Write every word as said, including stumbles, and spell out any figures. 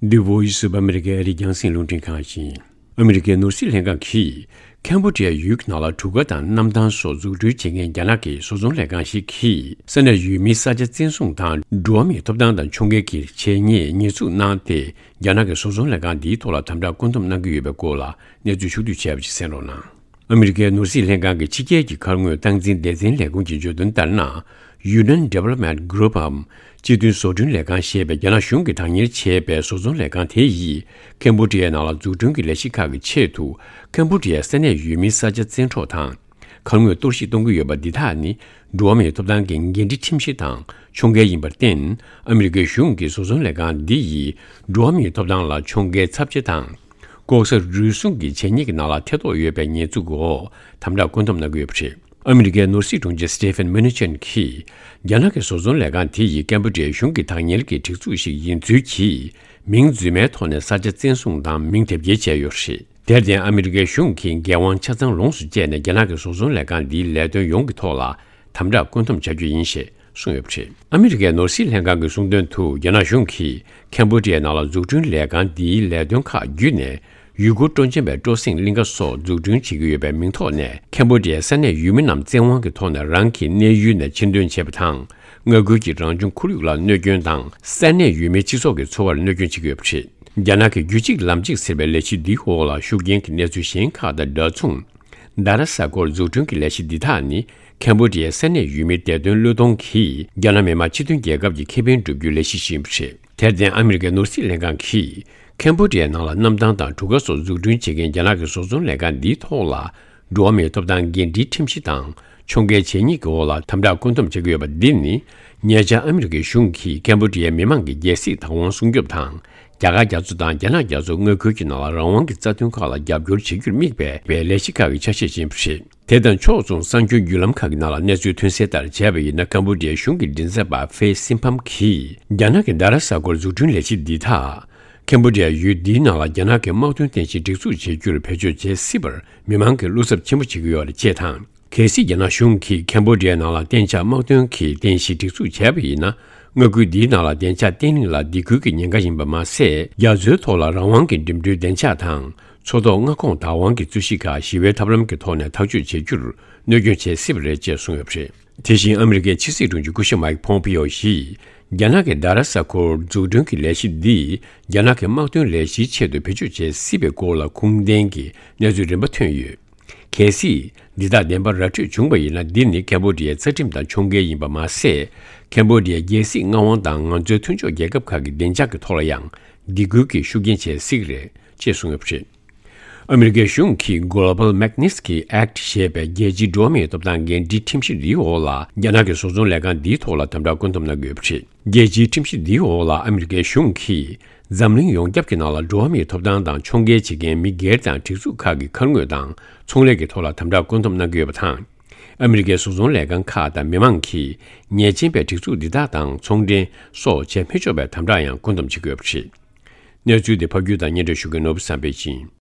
The Voice of America ཨ་རིའི་རྒྱང་སྲིང་རླུང་འཕྲིན་ཁང་ཡིན། ཨ་མི་རི་ཀའི་ནོར་སྲིད་ལྷན་ཁང་གིས་ཁེམ་བྷོ་ཌི་ཡ་ཡུལ་གྱི་ནང་ལ་གྲུ་ཁ་དང་གནམ་ཐང་སོགས་འཛུགས་སྐྲུན་བྱེད་མཁན་རྒྱ་ནག་གི་བཟོ་ཚོང་ལས་ཁང་ཞིག་གིས་ས་གནས་ཡུལ་མིའི་ས་ཆ་བཙན་བཟུང་དང་འགྲོ་བ་མིའི་ཐོབ་ཐང་དང་ཕྱོགས་འགལ་གྱི་བྱས་ཉེས་ཉེས་འཛུགས་གནང་སྟེ། རྒྱ་ནག་གི་བཟོ་ཚོང་ལས་ཁང་འདིའི་ཐོག་ལ་དམ་དྲག་བཀོད་འདོམས་གནང་གི་ཡོད་པའི་སྐོར་ལ་གནས་ཚུལ་ཕྱོགས་བསྡུས་བྱས་པ་ཞིག་གསན་རོགས་གནང་། ཨ་མི་རི་ཀའི་ནོར་སྲིད་ལྷན་ཁང་གི་ཕྱི་རྒྱལ་གྱི་མཁར་དངོས་སྟངས་འཛིན་སྡེ་ཚན་ལས་ཁུངས་ཀྱིས་བརྗོད་དོན་ལྟར་ན། Union Development Group འམ་སྤྱི་མཐུན་བཟོ་སྐྲུན་ལས་ཁང་ཞེས་པའི་རྒྱ་ནག་གཞུང་གིས་བདག་གཉེར་བྱས་པའི་བཟོ་ཚོང་ལས་ཁང་དེ་ཡིས་ཁེམ་བྷོ་ཌི་ཡའི་ནང་ལ་འཛུགས་སྐྲུན་གྱི་ལས་གཞི་ཁག་གི་ཆེད་དུ། ཁེམ་བྷོ་ཌི་ཡའི་ས་གནས་ཡུལ་མིའི་ས་ཆ་བཙན་འཕྲོག་དང་། མཁར་དངོས་གཏོར་བཤིག་གཏོང་གི་ཡོད་པ་འདི་དག་ནི། འགྲོ་བ་མིའི་ཐོབ་ཐང་གི་འགན་འཁྲི་ཁྲིམས་གཞི་དང་ཕྱོགས་འགལ་ཡིན་པར་བརྟེན། ཨ་མི་རི་ཀའི་གཞུང་གིས་བཟོ་ཚོང་ལས་ཁང་འདི་ཡིས་འགྲོ་བ་མིའི་ཐོབ་ཐང་ལ་ཕྱོགས་འགལ་ཚབས་ཆེ་དང་། ལྐོག་ཟ་རུལ་སུངས་ཀྱི་བྱས་ཉེས་ཀྱི་ནང་ལ་ཐེ་གཏོགས་ཡོད་པའི་ཉེས་འཛུགས་འོག་དམ་དྲག་བཀོད་འདོམས་གནང་གི་ཡོད་པ་རེད། ཨ་མི་རི་ཀའི་ནོར་སྲིད་དྲུང་ཆེ་Stephen Mnuchin གྱིས། རྒྱ་ནག་གི་བཟོ་ཚོང་ལས་ཁང་དེ་ཡིས་ཀེམ་བྷོ་ཌི་ཡའི་གཞུང་གི་བདག་གཉེར་གྱི་སྒྲིག་འཛུགས་ཤིག་ཡིན་ཚུལ་གྱིས། མིང་རྫུན་མའི་ཐོག་ནས་ས་ཆ་བཙན་བཟུང་དང་མིང་དེབ་སྐྱེལ་བྱས་ཡོད་པ་རེད། དེར་བརྟེན། ཨ་མི་རི་ཀའི་གཞུང་གིས་འགན་དབང་ཆ་ཚང་ལོངས་སུ་སྤྱད་ནས། རྒྱ་ནག་གི་བཟོ་ཚོང་ལས་ཁང་འདིའི་ལས་དོན་ཡོངས་ཀྱི་ཐོག་ལ་དམ་དྲག་བཀོད་འདོམས་བྱ་རྒྱུ་ཡིན་ཞེས་གསུངས་ཡོད་པ་རེད། ཨ་མི་རི་ཀའི་ནོར་སྲིད་ལྷན་ཁང་གིས་གསུངས་དོན་དུ། རྒྱ་ནག་གཞུང་གིས་ཁེམ་བྷོ་ཌི་ཡའི་ནང་ལ་འཛུགས་སྐྲུན་ལས་ཁང་འདིའི་ལས་དོན་ཁག་བརྒྱུད་ནས། ཡུལ་སྐོར་སྤྲོ་འཆམ་པའི་སྤྲོ་གསེང་གླིང་ག་སོགས་འཛུགས་སྐྲུན་བྱེད་ཀྱི་ཡོད་པའི་མིང་ཐོག་ནས། ཁེམ་བྷོ་ཌི་ཡའི་ས་གནས་ཡུལ་མི་རྣམས་བཙན་དབང་གི་ཐོག་ནས་རང་གི་གནས་ཡུལ་ནས་ཕྱིར་འདོན་བྱས་པ་དང་། མངའ་ཁུལ་གྱི་རང་བྱུང་ཁོར་ཡུག་ལ་གནོད་སྐྱོན་དང་། ས་གནས་ཡུལ་མིའི་སྤྱི་ཚོགས་ཀྱི་འཚོ་བར་གནོད་སྐྱོན་བྱེད་ཀྱི་ཡོད་པ་རེད། རྒྱ་ནག་གི་རྒྱུད་གཅིག་ལམ་གཅིག་ཟེར་བའི་ལས་གཞི་འདིའི་འོག་ལ་ཤུགས་རྐྱེན་གྱི་གནས་ཚུལ་གཞན་ཁག་དང་འདྲ་མཚུངས། རྡ་ར་ས་སྐོར་འཛུགས་སྐྲུན་གྱི་ལས་གཞི་འདི་དག་ནི། ཁེམ་བྷོ་ཌི་ཡའི་ས་གནས་ཡུལ་མིའི་བདེ་དོན་བློས་གཏོང་གིས། རྒྱ་ནག་མི་དམངས་སྤྱི་མཐུན་རྒྱལ་ཁབ་ཀྱི་ཁེ་ཕན་བསྒྲུབ་རྒྱུའི་ལས་གཞི་ཞིག་ཡིན་པ་རེད། དེར་བརྟེན། ཨ་མི་རི་ཀའི་ནོར་སྲིད་ལྷན་ཁང་གིས། ཁེམ་བྷོ་ཌི་ཡའི་ནང་ལ་གནམ་ཐང་དང་གྲུ་ཁ་སོགས་འཛུགས་སྐྲུན་བྱེད་མཁན་རྒྱ་ནག་གི་བཟོ་ཚོང་ལས་ཁང་འདིའི་ཐོག་ལ། འགྲོ་བ་མིའི་ཐོབ་ཐང་འགན་འཁྲིའི་ཁྲིམས་གཞི་དང་། ཕྱོགས་འགལ་བྱས་ཉེས་ཀྱི་འོག་ལ་དམ་དྲག་བཀོད་འདོམས་བྱེད་ཀྱི་ཡོད་པ་འདི་ནི། ཉེ་ཆར་ཨ་མི་རི་ཀའི་གཞུང་གིས་ཁེམ་བྷོ་ཌི་ཡའི་མི་མང་གི་རྒྱལ་སྲིད་བདག་དབང་སྲུང་སྐྱོབ་དང་། རྒྱ་གར་རྒྱ་མཚོ་དང་རྒྱ་ནག་རྒྱ་མཚོ་མངའ་ཁུལ་གྱི་ནང་ལ་རང་དབང་གི་རྩ་དོན་ཁག་ལ་རྒྱབ་སྐྱོར་བྱེད་རྒྱུར་དམིགས་པའི་ལས་གཞི་ཁག་གི་ཆ་ཤས་ཤིག་ཡིན་པ་རེད། དེ་དང་ཕྱོགས་མཚུངས། གསར་འགྱུར་བརྒྱུད་ལམ་ཁག་གི་ནང་ལ་གནས་ཚུལ་ཐོན་གསལ་ལྟར་བྱས་པ་ཡིན་ན། ཁམ་བྷོ་ཌི་ཡའི་གཞུང་གི་མགྲིན་ཚབ་པ་ཧྥེ་སིན་ཕམ་གྱིས། རྒྱ་ནག་གི་རྡ་ར་ས་ཁུལ་འཛུགས་སྐྲུན་ལས་གཞི་འདི་དག་ཁམ་བྷོ་ཌི་ཡ་ཡུལ་འདིའི་ནང་ལ་རྒྱ་ནག་གི་དམག་དོན་རྟེན་གཞི་སྒྲིག་འཛུགས་བྱེད་རྒྱུར་བེད་སྤྱོད་བྱེད་སྲིད་པར་མི་མང་གིས་བློ་འཚབ་ཆེན་པོ་བྱེད་ཀྱི་ཡོད་རེད་ཅེས་དང་། གལ་སྲིད་རྒྱ་ནག་གཞུང་གིས་ཁམ་བྷོ་ཌི་ཡའི་ནང་ལ་གཏན་འཇགས་དམག་དོན་གྱི་རྟེན་གཞི་སྒྲིག་འཛུགས་བྱས་པ་ཡིན་ན། མངའ་ཁུལ་འདིའི་ནང་ལ་བདེ་འཇགས་བརྟན་ལྷིང་ལ་སྡིགས་སྐུལ་གྱི་ཉེན་ཁ་ཡིན་པ་མ་ཟད། རྒྱ་མཚོའི་ཐོག་ལ་རང་དབང་གི་འགྲིམ་འགྲུལ་བདེ་འཇགས་དང་། མཚོ་ཐོག་མངའ་ཁོངས་བདག་དབང་གི་རྩོད་གཞི་ཁག་ཞི་བའི་ཐབས་ལམ་གྱི་ཐོག་ནས་ཐག་གཅོད་བྱེད་རྒྱུར་གནོད་སྐྱོན་བྱེད་སྲིད་པ་རེད་ཅེས་གསུངས་ཡོད་པ་རེད། དེ་བཞིན་ཨ་མི་རི་ཀའི་ཕྱི་སྲིད་དྲུང་ཆེ་སྐུ་ཞབས་མཱིག་ཕོམ་པིའོ་ཡིས། རྒྱ་ནག་གི་རྡ་ར་ས་ཁུལ་འཛུགས་སྐྲུན་གྱི་ལས་གཞི་འདིས་རྒྱ་ནག་གི་དམག་དོན་ལས་གཞིའི་ཆེད་དུ་བེད་སྤྱོད་བྱེད་སྲིད་པའི་སྐོར་ལ་ཁུངས་ལྡན་གྱི་གནས་ཚུལ་རིམ་པ་ཐོན་ཡོད། གལ་སྲིད་འདི་དག་བདེན་པར་ར་འཕྲོད་བྱུང་བ་ཡིན་ན། འདི་ནི་ཁམ་བྷོ་ཌི་ཡའི་རྩ་ཁྲིམས་དང་ཕྱོགས་འགལ་ཡིན་པ་མ་ཟད། ཁམ་བྷོ་ཌི་ཡའི་རྒྱལ་སྲིད་མངའ་དབང་དང་ང་ཚོའི་མཐུན་ཕྱོགས་རྒྱལ་ཁབ་ཁག་གི་བདེ་འཇགས་ཀྱི་ཐོག་ལ་ཡང་སྡིགས་སྐུལ་གྱི་ཤུགས་རྐྱེན་བྱེད་སྲིད་ཀྱི་རེད་ཅེས་གསུངས་ཡོད་པ་རེད། ཨ་མི་རི་ཀའི་གཞུང་གིས་Global Magnitsky Act ཞེས་པའི་རྒྱལ་སྤྱིའི་འགྲོ་བ་མིའི་ཐོབ་ཐང་འགན་འཁྲིའི་ཁྲིམས་གཞི་འདིའི་འོག་ལ། རྒྱ་ནག་གི་བཟོ་ཚོང་ལས་ཁང་འདིའི་ཐོག་ལ་དམ་དྲག་བཀོད་འདོམས་གནང་གི་ཡོད་པ་རེད། རྒྱལ་སྤྱིའི་ཁྲིམས་གཞི་འདིའི་འོག་ལ་ཨ་མི་རི་ཀའི་གཞུང་གིས་འཛམ་གླིང་ཡོངས་ཁྱབ་ཀྱི་ནང་ལ་འགྲོ་བ་མིའི་ཐོབ་ཐང་དང་ཕྱོགས་འགལ་བྱེད་མཁན་མི་སྒེར་དང་སྒྲིག་འཛུགས་ཁག་གི་མཁར་དངོས་དང་ཚོང་ལས་ཀྱི་ཐོག་ལ་དམ་དྲག་བཀོད་འདོམས་གནང་གི་ཡོད་པ་དང་། ཨ་མི་རི་ཀའི་བཟོ་ཚོང་ལས་ཁང་ཁག་དང་མི་མང་གིས་ཉེས་ཅན་པའི་སྒྲིག་འཛུགས་འདི་དག་དང་ཚོང་འབྲེལ་སོགས་བྱེད་མི་ཆོག་པའི་དམ་དྲག་ཡང་བཀོད་འདོམས་བྱེད་ཀྱི་ཡོད་པ་རེད། གནས་ཚུལ་དེ་ཕབ་སྒྱུར་དང་སྙན་སྒྲོན་ཞུ་མཁན་ནོར་བུ་བསམ་འཕེལ་ཡིན།